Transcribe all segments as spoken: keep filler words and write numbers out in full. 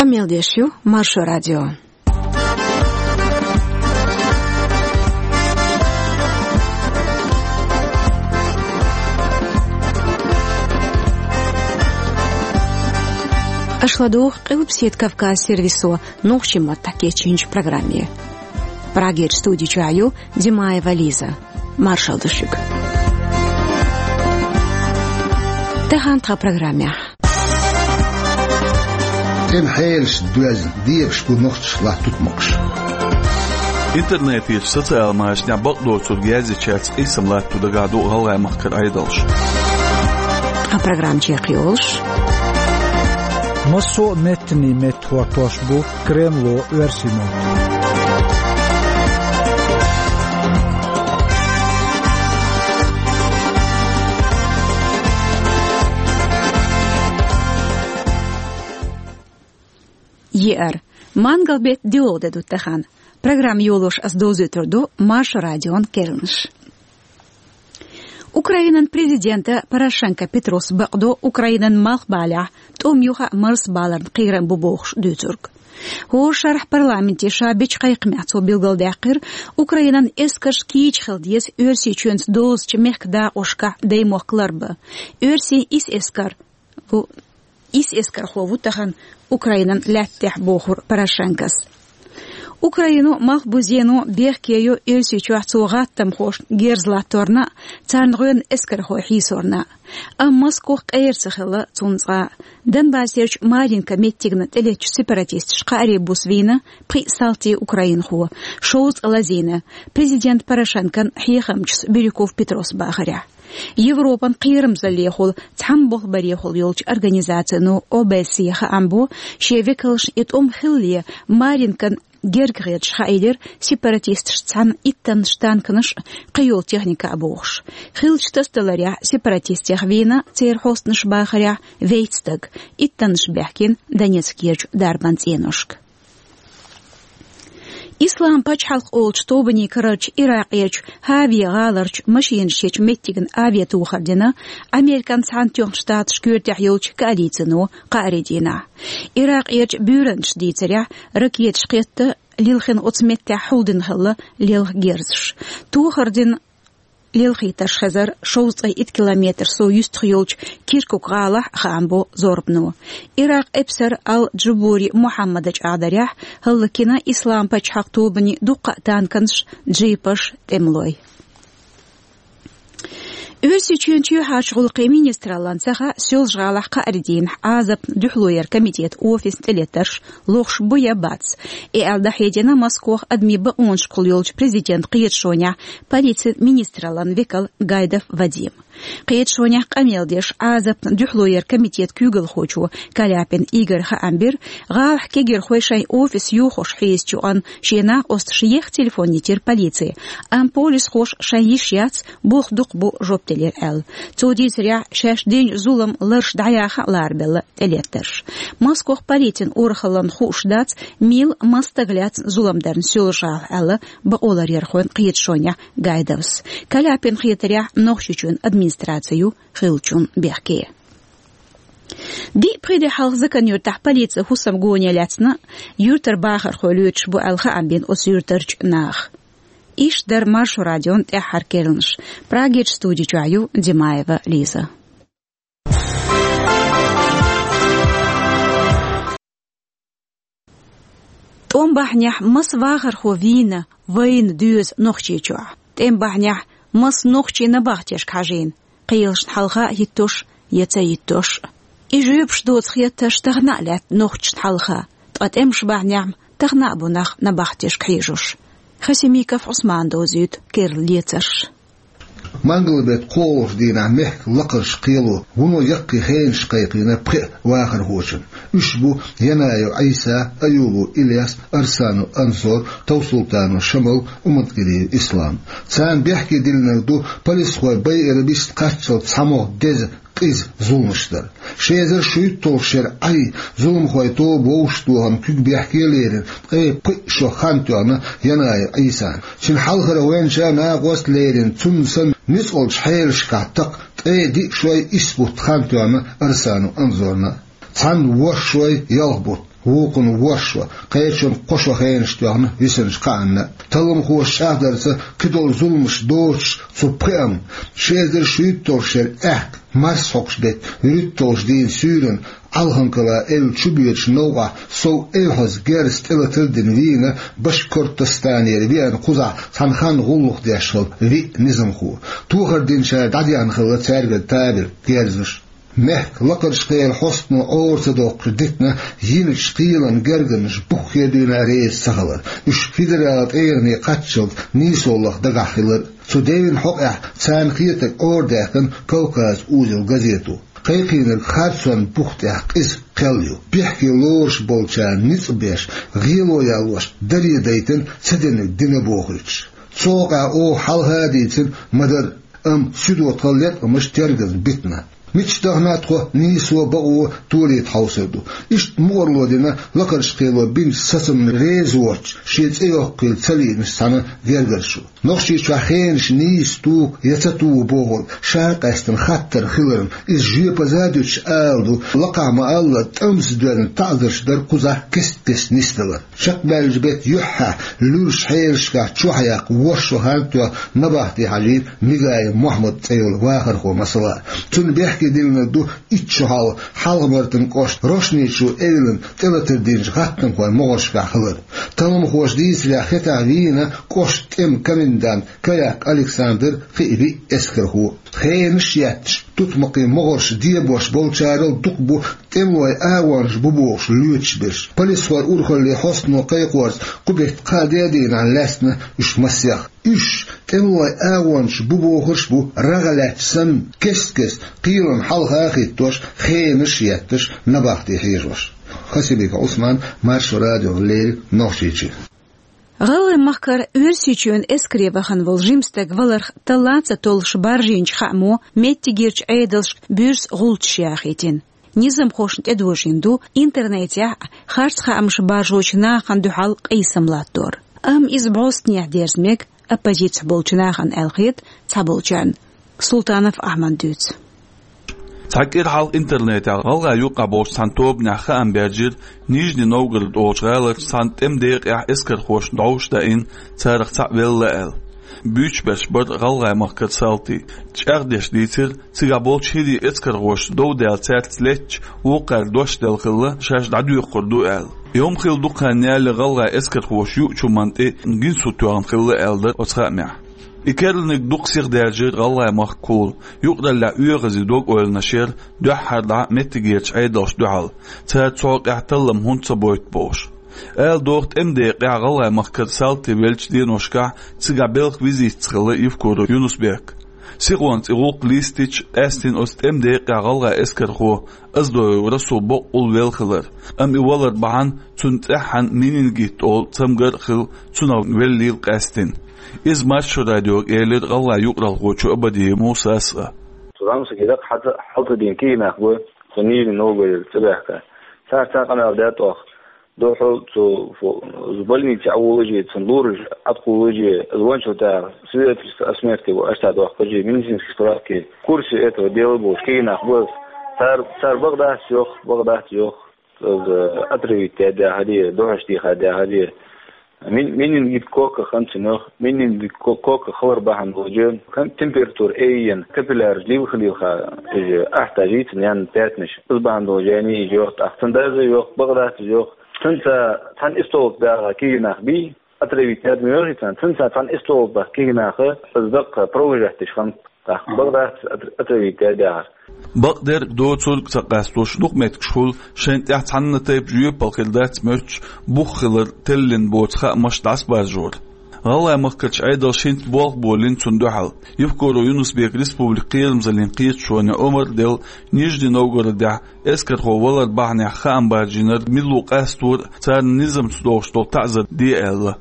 Мел деш ю Маршо радио. Аш ладугӀу Къилбаседа Кавказ сервисо нохчийн маттахь кечйинчу программе. Прагерчу студи чохь ю Димаева Лиза. Маршалла ду шуьга. Тахана тхан программехь. ТӀеман хьелашца доьзна, дебаш бу нохчаша латту тӀемаш. Интернетехь, социал машанехь бакъдолчуьра герзичаьрца къийсам латто дагахь ду гӀалгӀай махкара Ӏедалш. Тхан программа чекхйолуш. Массо а меттанийн метта хӀоттош бу Кремло оьрсийн мотт. Еара. Мангал-беттан доьалгӀа де ду тахана. Программа йолош ас довзуьйтур ду Маршо радион керланаш. Украинан президента Порошенко Петрос бакъдо Украинан малхбалехь тӀом юха а марсабаларна кхерам бу бохуш дуьйцург. ХӀора шарахь парламенте ша бечу кхайкхамехь цо билгалдаьккхира, Украинан эскарш кийча хила деза Оьрсийчоьнца дозучу мехкан дакъошкахь даймохк ларбан. Оьрсийн исс эскар ву, исс эскархо ву тахана Украинан лаьтта тӀехь, бохура Порошенкос. Украино малхбузено бехке йо Оьрсийчохь цо гӀаттамхошна герз латторна а, царна гӀоьнна эскархой хьийсорна а. Амма Москох къера ца хилла цунна цкъа а. Донбассерчу Маринка меттигна тӀелеттачу сепаратисташа кхааре буса вийна пхиъ салтий украинхо, шовзткъа лазийна, президент Порошенкон хьехамчас Бирюков Петрос бахарехь. Европан кхерамзаллехула, цхьаьна болх барехула йолчу организацино О Б С Е хаам бо, шен векалшна и тӀом хиллале, Маринкан герга хеташ хаийлира сепаратисташца цхьаьна иттаннаш танканаш а, кхийолу техника а бохуш. Хиллачу тасадаларехь, сепаратистех вийна, церан хьостанаша бахарехь, вейтта стаг, иттаннаш баьхкина Донецкерчу дарбан цӀеношка. Ислам пачхьалкх олучу тобанийн карарчу Иракъерчу Хьавия гӀаларчу машинаш ечу меттигна авиатохар дина Американ Цхьаьнатоьхначу Штаташ коьртехь йолчу коалицино кхаари дийнахь. Иракъерчу буьйранчаша дийцарехь, ракеташ кхетта лилхина оцу меттехь хьулдина хилла лелха герзаш. Тохар дина лелхийтарш хезара шовзткъе итт километр сов юьстах йолчу Киркук гӀалахь, хаам бо зорбано. Иракъан эпсар Ал-Джубури Мухьаммада чӀагӀдарехь, хӀаллакйина Ислам пачхьалкх тобанийн дуккха а танканаш, джипаш, тӀемалой. Оьрсийчоьнан чоьхьарчу гӀуллакхийн министраллан ца хаьа Соьлжа-ГӀалахь кхаари дийнахь Ӏазапна дуьхьало яран комитетан офисна тӀелеттарш лохуш бу я бац. И аьлла дӀахьедина Москох адамийн бакъонашкахула йолчу президентан кхеташонехь полицин министраллан векал Гайдов Вадим. Кхеташонехь къамел деш Ӏазапна дуьхьало яран комитетан куьйгалхочо Каляпин Игора хаам бира, гӀалахь кегийрхой шайн офис йохош хьийзачу юкъана шен накъосташа ехха телефон йитира полице, амма полисхоша шайн йиш яц, болх дукха бу жоп делира аьлла. Цо дийцарехь, шаьш динчу зуламан ларш дӀаяха а ларбелла тӀелеттарш. Москох полицин урхаллан хууш дац, мила, маса стаг лаьцна зулам дарна Соьлжа-ГӀалахь аьлла бакъоларъярхойн кхеташонехь Гайдовс. Каляпинна хетарехь, Нохчийчоьнан администраци ю хиллачунна бехке. Диъ-пхи де хьалха Закан-Юьртахь полици хӀусам гоне лаьцна, юьртара бахархой лоьцуш бу аьлла хаам бина оцу юьртарчу наха. Иштта дара Маршо радион тӀаьххьара керланаш. Прагерчу студи чохь ю Димаева Лиза. ТӀом бахьанехь маса вахархо вийна, вайна доьза Нохчийчохь? ТӀем бахьанехь маса нохчи набахтешка хьажийна, кхелашна хьалха а хӀиттош я ца хӀиттош а? И жоьпаш доцу хеттарш тахана а лаьтта нохчашна хьалха, ткъа тӀемаш бахьанехь тахана а бу нах набахтешка хьежош. Хасимиков Ӏусмана довзуьйту керла лецарш. Мангал-беттан кхоалгӀачу дийнахь мехкан лакхарчу кхело вуно яккхий хенаш кхайкхийна пхеа вахархочун. Уьш бу Янаев Ӏийса, Аюбов Ильяс, Арсанов Анзор, Товсултанов Шамал, Уматгалиев Ислам. Царна бехке диллинарг ду, полисхой байъаран бист кхаччалц цхьамогӀа деза, къиза зуламаш дар. Ши эзар шуьйтталгӀачу шеран Ӏай зуламхойн тоба вовшахтохарна куьг бехке а лерина, ткъе пхиъ шо хан тоьхна Янаев Ӏийсана. Цуьнан хьалхара гӀоьнча а накъост а лерина, цунна санна ницкъалчу хьелашкахь такха ткъе диъ шой исс бутт хан тоьхна Арсанов Анзорна. Цхьана ворхӀ шой ялх бутт. вукхун ворхӀ шо, кхечун кхо шо хенаш тоьхна висанаш кхаанна. Талламхоша чӀагӀдарца, кхыдолу зуламаш доцуш цу пхиъам, ши эзар шуьйтталгӀа шера аьхка, марсхьокху беттан вуьрхӀитталгӀачу дийнан суьйранна Алханкала эвла чубоьдучу новкъахь сов эвхьаза герз тӀелатар а дина вийна Башкортостанера веана кхузахь цхьана ханна гӀуллакх деш хилла виъ низамхо. Тохар динчара дӀадехна хилла цаьргара табарг, герзаш. Мехкан лакхарчу кхелан хьостано Ӏора ца доккхуш дитина йиначу кхелан гергарнаш буххе а дуьйна реза ца хилар, уьш федералан тӀегӀане кхаччалц нийсо лаха дагахь хилар. Цу девнан хьокъехь царна хетарг Ӏорадаьккхина «Кавказ узел» газето. Кхайкхийнарг харцонан бух тӀехь къиза кхел ю. Бехке лоруш болчарна ницкъ беш, гӀело ялош, даре дайтина ца динарг дина бохуьйтуш. Цу хьокъехь оха хьалха а дийцина ма-дарра, амма суьдо тхан леткъамаш тергаза битина. Мича дахана тхо нийсо а, бакъо а толийта хьовсур ду. Иштта мукъарло дина лакхарчу кхело бинчу сацамна реза воцуш, шен цӀе йоккхийла ца лиъначу цхьана гергарчо. Нохчийчохь хенаш нийса туху я ца туху бохург ша къаьстина хаттар хиларна, иза жоьпаза а дуьтуш ала ду, лакхахь ма-аллара, тӀамца доьзна таӀзарш дара кхузахь кест-кеста нисдалар. Чекхбаьллачу беттан юьххьехь луьрачу хьелашкахь чохь яккха ворхӀ шо хан тоьхна набахти хьажийра Мигаев Мохьмад цӀе йолу вахархо масала. Цунна бехке диллинарг ду итт шо хьалха Хьалха-Мартан кӀоштан Рошни-Чу эвлана тӀелатар динчу гӀаттамхойн могӀаршкахь хилар. Талламхоша дийцарехь, хетахь вийна кӀоштан тӀеман комендант Каяк Александр, кхин а виъ эскархо. Хенаш а етташ, тутмакхийн могӀарш дебош болчарал дукха бу тӀемалойн агӀонаш бу бохуш лоьцуш берш. Полисхойн урхаллин хьостано кхайкхорца, кху беттан кхаа-деа дийнахь лаьцна уьш массех. Уьш тӀемалойн агӀонаш бу бохурш а бу, рагӀ лаьтташ санна, кест-кеста кхелана хьалха а хӀиттош, хенаш а етташ, набахти хьежош. Хасимиков Ӏусман, Маршо радиона леррина, Нохчийчоь. ГӀалгӀайн махкара Оьрсийчоьнан эскаре вахана волу жима стаг валарх таллаца толлуш баржийначу хаамо меттигерчу Ӏедалшка буьрса гӀулчаш яхийтина. Низамхошна тӀедожийна ду интернетехь харц хаамаш баржочу нахана дуьхьал къийсам латтор. Амма иза бӀостанехьа дерза мега оппозицехь болчу нахана аьлла хета цхьаболчарна. Султанов Ахьмада дуьйцу. Цхьа кӀира хьалха интернетехь гӀалгӀайн юкъахь болчу цхьана тобанехь хаам баьржира Нижний Новгород олучу гӀаларчу цхьана тӀеман декъехь эскархошна дӀовш даийна, царах цхьаъ велла аьлла. Буьйцуш берш бара гӀалгӀайн махкара салтий. ЧӀагӀдеш дийцира, цигахь болчу хӀирийн эскархоша дов даьлла цаьрца леттачу вукхаьрга дош делла хилла, шаьш дӀадоьккхур ду аьлла. И хӀума хилла дукха хан ялале гӀалгӀайн эскархоша юучу хӀуманна тӀе гинсу тоьхна хилла аьлла дара оцу хаамехь. И керланиг дукха сиха даьржира гӀалгӀайн махкахула, юкъараллехь оьгӀазе дог-ойланаш яра дуьххьара дӀа меттигерчу Ӏедалшна дуьхьал, цара цу хьокъехь таллам хӀунда ца бойту бохуш. Ала догӀу, тӀеман декъехь гӀалгӀайн махкара салтий веллачу деношкахь цигахь белхан визитца хилла Евкуров Юнус-Бек. Сихонца и гӀуллакх листича, къаьстина оцу тӀеман декъехь гӀалгӀайн эскархо Оздоев Расул бакъволуш велла хилар, амма и валар бахьана цунна цӀеххьана менингит олу цамгар а хилла, цунах веллийла къаьстина. Иза Маршо радиога элира гӀалгӀайн юкъаралхочо Абадиев Мусас а. Цу замсаге дакъа хьалта-, хьалта дийна кегий нах бу, цу Нижний Новгородера цӀа баьхка. Цара цхьа къамел даьтта оха. Дуьхьал цу фу-, из больнице Ӏоволуш, цунна лоруш Ӏаткъолуш, звончул тӀаьхьа свидетельство о смерти бу аша доккхуш, медицинский справки, в курсе этого дела бу, кегий нах бу. Цара, цара бакъ дац йоху, бакъ дац йоху. Из отравить даьхьаде, духьаш дийхьа даьхьаде. Мин-, менингит кока хан цунах, менингит ко-, кока хилар бахьана долчу, кан-, температура айина, капилляраш лилха-лилха, иза ахьтажийцина ян пятнаш. Из бахьана долчу яни иза йоху, тӀаккха цунна даза йоху, бакъ дац иза йоху. Цунца цхьана истолгӀа баьгӀа кегий нах бий, отравить даьд ма йохий царна, цунца цхьана истолгӀа баьгӀа кегий наха, из даккха провожать деш хан. ТӀаккха бакъ дац отр-, отравить даьд яхар. Бакъдерг а, доцург а ца къастош, дукха меттигашкахула шайна тӀехь цхьанна тайпа жоьпалла хир дац моьттуш, бух хилар теллина боцу хаамаш дӀасабаржор. ГӀалгӀайн махкарчу Ӏедалша хӀинца болх болийна цунна дуьхьал. Евкуров Юнус-Бека республикан кхерамзаллин кхеташоне омра а делла, Нижний Новгородехь эскархо валар бахьанехь хаам баржийнарг мила ву къастор а, царна низамца догӀуш долу таӀзар де аьлла.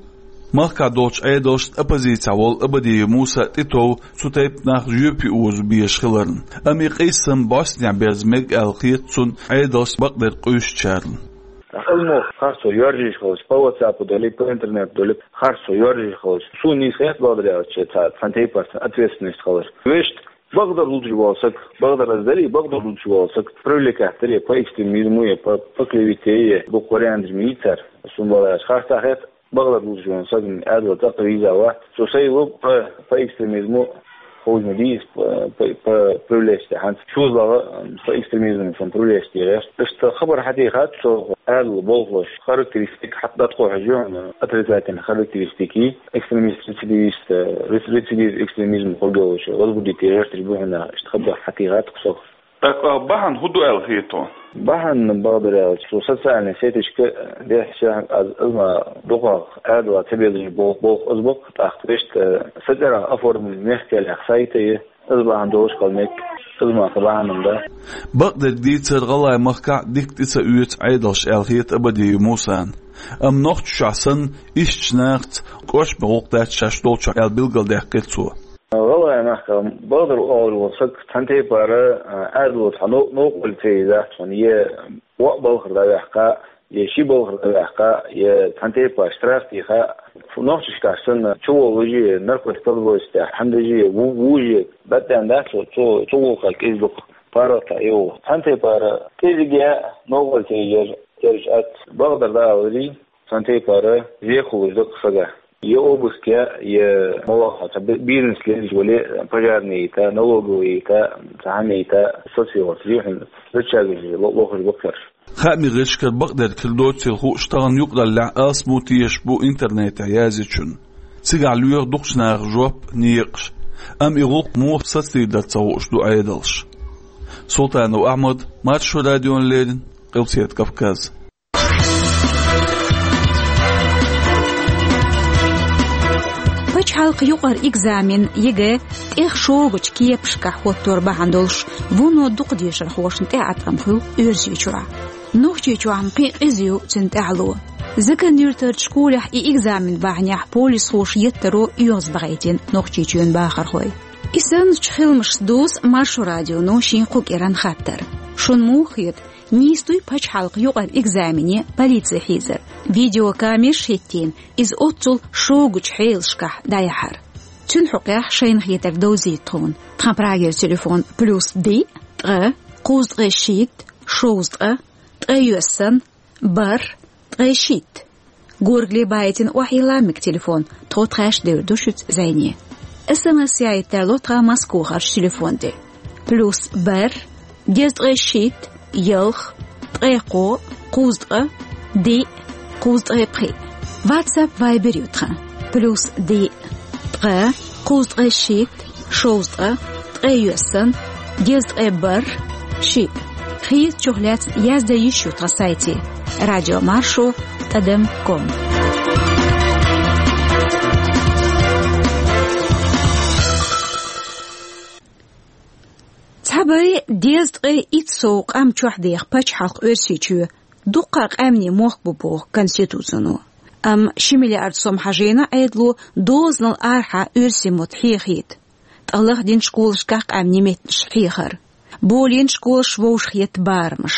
Махкахь долчу Ӏедалшна оппозицехь волу Абадиев Муса тӀетов цу тайпа нах жоьпе озо безаш хиларна. Амма и къийсам бӀостанехьа берза мега аьлла хета цунна Ӏедалшца бакъдерг къуьйсучарна. Ӏилманхой харцо йоьржийша хилча, по WhatsApp-у долий, по интернету долий, харцо йоьржийша хилча, суна нийса хета бакъдерг аьлча, цхьа-, цхьана тайпара ответственность хилар. Вешта Бакъдар луш вола саг, бакъдар аз дарий, бакъдар луш вола саг привлекать дарий по экстремизму, е по, по клевете, е дукха варианташ ма йий цар. Сона бакъдар аз харцахьа хет, бакъдар луш вола саг, м, адала цӀаккха виза вац. Со сай лу по, по экстремизму хожна дийс, по, по, по привлечь хӀанз. Шозлагъа, м, по экстремизму сон привлечь гӀерт. Иштта хабар хьатӀехьа со адала болхлош характеристика хьатӀа дӀатӀакхухьаш, отрицательный характеристики, экстремист, рецидивист, э, рец-, рецидив экстремизм хургйолча, возбудить гӀерташ бу хьона, иштта хабар хьатӀехьа со. ТӀаккха бахьан хӀун ду аьлла хеташ? Бахьан бакъдар аьлча, со социальный сеташка дехьа аз, аз ма дукхагӀа адала ца безаш бол-, болх аз бакъ, тӀаккха вешта, э, са цӀерагӀа оформлен мехкалех сайта е, аз бахьан долаш калмек, аз ма ца бахьан да. Бакъдерг дийцар, ГӀалгӀай махкахь дика тӀе ца оьцу Ӏедалш аьлла хета Абадиев Мусана. Амма Нохчийчохь санна, ишттачу нахаца кӀоршаме гӀуллакх дац шаьш долчохь аьлла билгалдаьккхира цо. ГӀалгӀай махкахь бакъдар олуш волу саг цхьана тайпара, а, адало цхьа нов-, новкъарло ца йизахь цунна, е ваъ балхара дӀаваьккха, е ши балхара дӀаваьккха, е цхьана тайпа штраф тӀе йиха. Нохчийчохь санна, чуволлуш е, наркотик подбросить, хьан дажи, ву-, вужи, баттан дац цо, цо, цу гӀуллакхах кӀезиг дукха паргӀата йогӀу. Цхьана тайпара кӀезиг е новкъарло ца йижар, терж ац. Бакъдар дӀааларий, цхьана тайпара зехалуш дакъа сага. Е обыск е, е молохьа, ца би-, бизнес лелаш вале, пожарный йита, налоговый йита, цхьана йита, соцсеташ, жихьун, зачагаш, ло-, лохаш баккхарш. Хаамийн гӀирсашкара бакъдерг хир доцийла хууш, тахана юкъараллехь алсам тешаш бу интернетехь язйинчунна. Цигахь лоьху дукхачу наха жоп, некъаш. Амма и гӀуллакх муха сацадийр дара ца хууш ду Ӏедалш. Султанов Ахьмад, Маршо радиона леррина, Къилбаседа Кавказ. Пачхьалкхан юкъара экзамен, ЕГЭ, тӀех шогачу кепашкахь хӀоттор бахьана долуш, вуно дукха дешархошна тӀеӀаткъам хуьлу Оьрсийчохь. Нохчийчохь-м кхин а къиза ю цуьнан тӀаьхьало. Закан-Юьртарчу школехь и экзамен бахьанехь полисхоша еттаро оьгӀазбахийтина Нохчийчоьнан бахархой. И санначу хиламашца дузу Маршо радионо шен кху кӀиранан хаттар. Шуна муха хета, нийса дуй пачхьалкхан юкъара экзамене полици хьийзар, видеокамераш хӀиттийна, иза оццул шогачу хьелашкахь дӀаяхьар? Цуьнан хьокъехь шайна хетарг довзийта тхуна. Тхан Прагера телефон: плюс диъ, ткъа, кхузткъе шийтта, шовзткъа, ткъе йоьссан, бархӀ, ткъе шийтта. Горгали баийтина охьайилла мега телефон, тхо тхаьш девр ду шуьца зӀене. СМС яийта тарло тхан Москвахарчу телефон тӀе. Плюс бархӀ, дезткъе шийтта, ялх, ткъе кхоъ, кхузткъа, диъ, кхузткъе пхиъ. WhatsApp, Viber ю тхан. Плюс диъ, ткъа, кхузткъе шийтта, шовзткъа, ткъе йоьссан, дезткъе бархӀ, шиъ. Хетачух лаьцна яздан йиш ю тхан сайте: радиомаршо тӀадам ком. Цхьабарий дезткъе итт сов къам чохь деха пачхьалкх Оьрсийчоь дуккха а къаьмнийн мохк бу боху Конституцино. Амма ши миллиард сом хьажийна Ӏедало дозанал арахьа оьрсийн мотт хьехийта. Ткъа лахдина школашкахь къаьмнийн меттанаш хьехар. Болийна школаш вовшахъетта барамаш.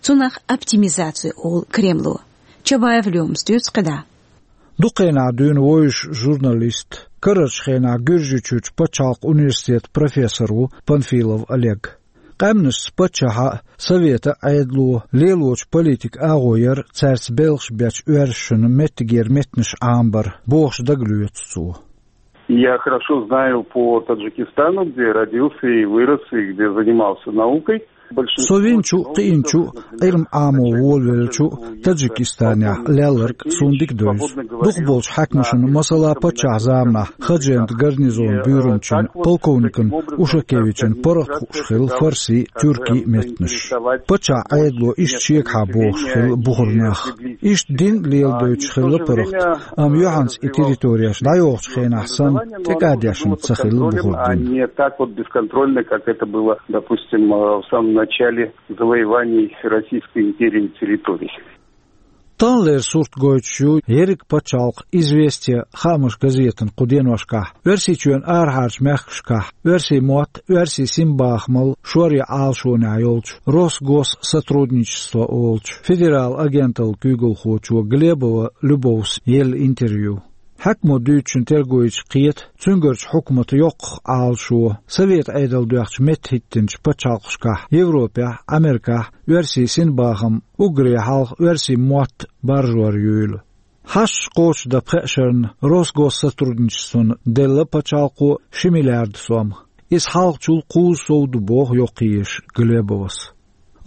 Цунах оптимизаци олу Кремло. Чабаев Лёмас дуьйцу кхидӀа. Дукха хенахь дуьйна вевзаш журналист, карарчу хенахь Гуьржийчуьрчу пачхьалкхан университетан профессор ву Панфилов Олег. Къаьмнашца паччахьан а, Советан а Ӏедало лелочу политикан агӀо яра цаьрца белхаш бечу оьрсашна меттигера меттанаш Ӏамабар, бохуш дагалоьцу цо. Я хорошо знаю по Таджикистану, где родился и вырос, и где занимался наукой. Со винчу, кхиинчу, Ӏилма Ӏамо волавеллачу Таджикистанехь лелларг суна дика девза. Дукхахболчу хьаькамашна, масала, паччахьан заманахь Ходжент гарнизонан буьйранчин, полковникан Ушакевичан паргӀат хууш хилла фарси, тюрки меттанаш. Паччахьан Ӏедало иштта шегахьа бохуш хилла бухара нах. Иштта дин леладойтуш хилла паргӀат, амма юьхьанца и территореш дӀайохучу хенахь санна тӀекӀадешна ца хилла бухара дин. Не так вот бесконтрольно, как это было, допустим, э, в самом начале завоеваний Российской империи территорий. Таханлера сурт гойтуш ю ерриг пачхьалкхан «Известия» хаамаш газетан кху деношкахь Оьрсийчоьнан арахьарчу мехкашкахь оьрсийн мотт, оьрсийн синбахамал шоръян Ӏалашонехь йолчу «Росгоссотрудничество» олучу федералан агенталлан куьйгалхочо Глебова Любовс елла интервью. Хьаькамо дуьйцучун терго йича кхета, цуьнгарчу хьукматан йоккхах Ӏалашо, Совет Ӏедал доьхначу меттахӀиттинчу пачхьалкхашкахь, Европехь, Америкехь оьрсийн синбахам уггаре хьалха оьрсийн мотт баржор юйла. Хьашт кхочушдан пхеа шарна Росгоссотрудничествон делла пачхьалкхо ши миллиард сом. Иза хьалхачул кхузза сов ду, боху йоккхаеш Глебовас.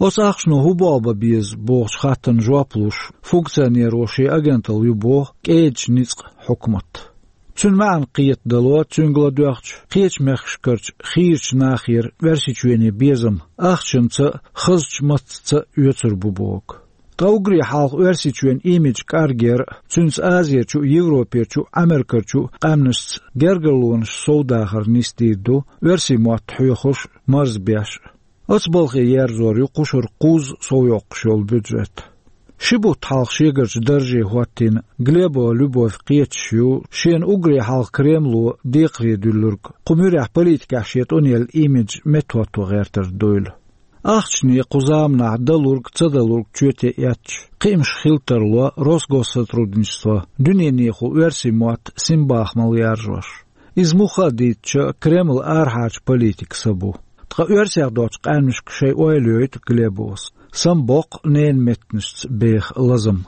Оцу ахчано хӀун болх бан беза бохучу хаттарна жоп луш, функционеро шен агенталла ю боху кӀедачу ницкъан хьукмат. Цуьнан маьӀна кхетадало, цуьнга ладоьгӀча, кхечу мехкашкарчу хийрачу нахера Оьрсийчоьне безам ахчанца а, хазачу маттаца а оьцур бу боху. Ткъа уггаре хьалха Оьрсийчоьнан имидж кӀаргъяр а, цуьнца Азерчу а, Европерчу а, Америкерчу а къаьмнашца гергарлонаш совдахар нисдийр ду оьрсийн мотт хьоьхуш а, марзбеш а. Оцу балхе ерзор ю кху шарахь кхузза сов йоккхуш йолу бюджет. Ши бутт хьалха шегарчу дарже хӀоттийна Глебова Любовь кхеташ ю шена уггаре хьалха Кремло декхаре дуьллург, кху муьрехь политикехь шен тӀунъелла имидж меттахӀотто гӀертар дуйла. Ахчане кху заманахь далург, ца далург чоте эцча, кхиамаш хила тарло Росгоссотрудничество дуьненахула оьрсийн мотт синбахамал яржош. Иза муха а дийцича, Кремлан арахьарчу политикан са бу. Ткъа оьрсех доцчу къаьмнашка шайн ойла йойту Глебовас. Самабоккху ненан меттанашца беха лазам.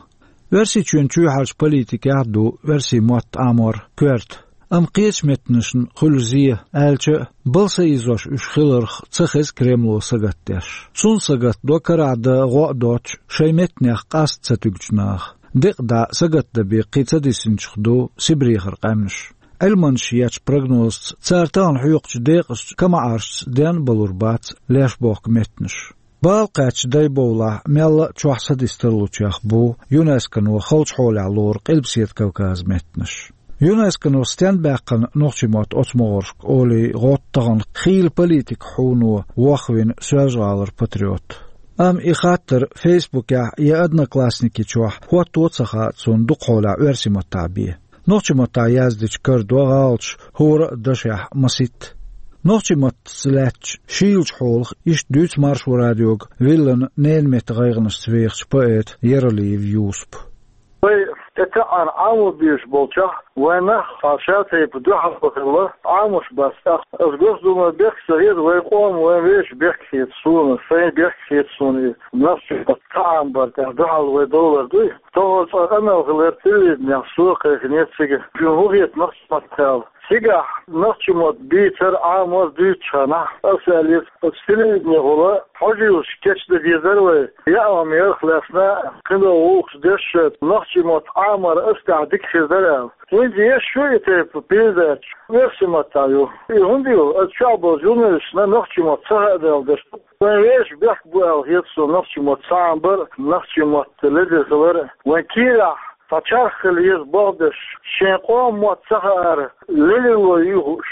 Оьрсийчоьнан чоьхьарчу политикехь а ду оьрсийн мотт Ӏамор коьрта. Амма кхечу меттанашна хуьлу зе, аьлча а, бала са ийзош уьш хиларх ца хеза Кремло сагатдеш. Цунна сагатдо карахь дан гӀо а доцуш, шайн меттанех къаста ца туьгучу наха. Декъа дӀа сагатдан бен кхин ца дисинчух ду Сибрехара къаьмнаш. Ӏилманчаша ечу прогнозца, цара тахана хьоькхучу декъашца, камаӀаршца денна а балур бац леш бохку меттанаш. Бала кхаьчча дай бовлахь, мелла а чохь садист тарлучех бу ЮНЕСКОно халчу хьолехь лору Къилбаседа Кавказан меттанаш. ЮНЕСКОно стенна баьккхина нохчийн мотт оцу могӀаршка олий гӀотту тахана хийла политикан хьуно вохвина Соьлжа-ГӀалара патриот. Амма и хаттар Фейсбукехь я Одноклассники чохь хӀотто а ца хаьа цунна дукха хьолехь оьрсийн маттахь бен. Нохчийн маттахь яздича карадо гӀалаташ хӀора а дашехь масийтта. Нохчийн маттаца лаьттачу шийлачу хьолах иштта дуьйцу Маршо радиога виллина ненан меттан гӀайгӀанашца вехачу поэта Яралиев Юсупа. Вай тӀетаьӀӀана Ӏамо безаш болчохь, вайн нах цхьа ша тайпа дуьхьал хилла Ӏамош бац тӀаккха. Аса Госдумера бехк ца хета, вайн къоман, вайн вешан бехк хета суна, сайн бехк хета суна и нохчийн мотт ца Ӏамабар тӀехь дуьхьал вай довлар дуй. Тохара цкъа къамел хилира телевиденехь, со а кхайкхинера цига. Шуна хӀун хета нохчийн маттах аьлла? Цигахь нохчийн мотт бийцар, Ӏамор дуьйцучу хенахь аса аьллера, оцу телевиденехула хьожийлаш кечдан дезара вай, яа ма-ярх лаьцна, кхидолу гӀуллакхаш деш, нохчийн мотт Ӏамор аса тӀехь дика хир дара аьлла. ХӀинца еш ю и тайпа передача, оьрсийн маттахь ю. И хӀунда ю? Аса чохь болчу журналисташна нохчийн мотт ца хаьа аьлла деш ду. Вайн вешан бехк бу аьлла хета суна нохчийн мотт ца Ӏамабар а, нохчийн мотт ледара хилар а. Вайн кийрахь цхьа чарх хила еза болх беш, шен къоман мотт ца хаьара ледарло юй хууш,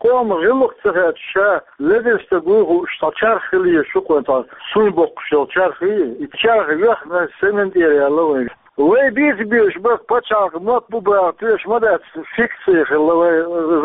къоман гӀиллакх ца хаьча ша ледара стаг вуй хууш цхьа чарх хила еза шу-кх вайн, цхьа суй боккхуш йолу чарх, и чарх йоьхна семан тӀера яьлла вайга. Вай бийца безаш бара пачхьалкхан мотт бу баха тоьаш ма дац, фикция хилла вай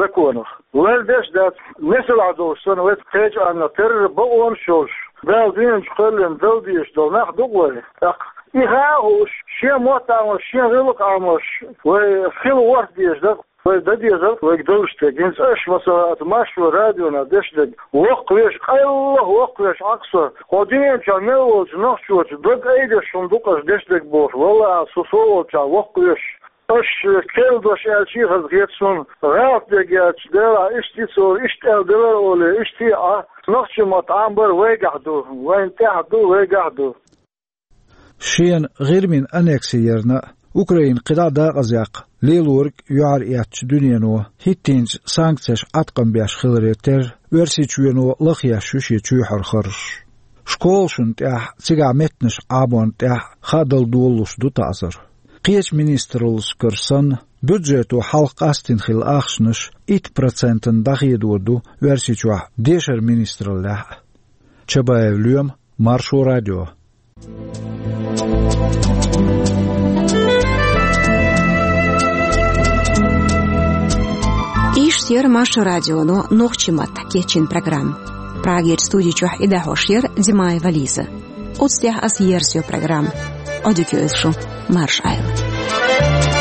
законах. Вай деш дац, несалахь долуш санна, вай кхечу Ӏаьннах терра бакъонаш йолуш, Дала дуьнен чу кхоьллина дала дезаш долу нах ду-кх вай. ТӀаккха и хаа а хууш, шен мотт Ӏамош, шен гӀиллакх Ӏамош, вай хила ворхӀ дезаш дара-кх, вай дан дезара-кх вайга далуш дерг. ХӀинца аша, масала, аса Маршо радионах деш дерг, воккхавеш, къайлаха воккхавеш Ӏа-кх со, кху дуьнен чохь мел волчу нохчочун дог айдеш хӀума ду-кх аша деш дерг бохуш, валлахӀи, со со волчохь воккхавеш. Аша керла дош аьлча а хазахета суна, гӀалат дерг яьлча, Делахь, иштта и цо, иштта аьлла делара олий, иштта а Ӏа, нохчийн мотт Ӏамабар вайгахь ду, вайна тӀехь ду, вайгахь ду. Шена ГӀирмин аннекси ярна а, Украина кхидӀа а дакъазъяккха лелориг а юьхьар эцначу дуьнено хӀиттийначу санкцеш Ӏаткъам беш хиларе терра, Оьрсийчоьно лахъеш ю шен чоьхьара харжаш. Школашна тӀехь, цигахь меттанаш Ӏаморна тӀехь хаа дала долалуш ду таӀзар. Кхечу министраллашкара санна, бюджето хьалха къастийна хилла ахчанаш итт процентана дӀахедор ду Оьрсийчохь дешаран министраллехь а. Чабаев Лоьма, Маршо радио. Иштта яра Маршо радионо нохчийн маттахь кечйина программа. Прагерчу студи чохь и дӀахьош яра Димаева Лиза. Оцу тӀехь аса ерзайо программа. Ӏодика йойла шу, марша Ӏойла.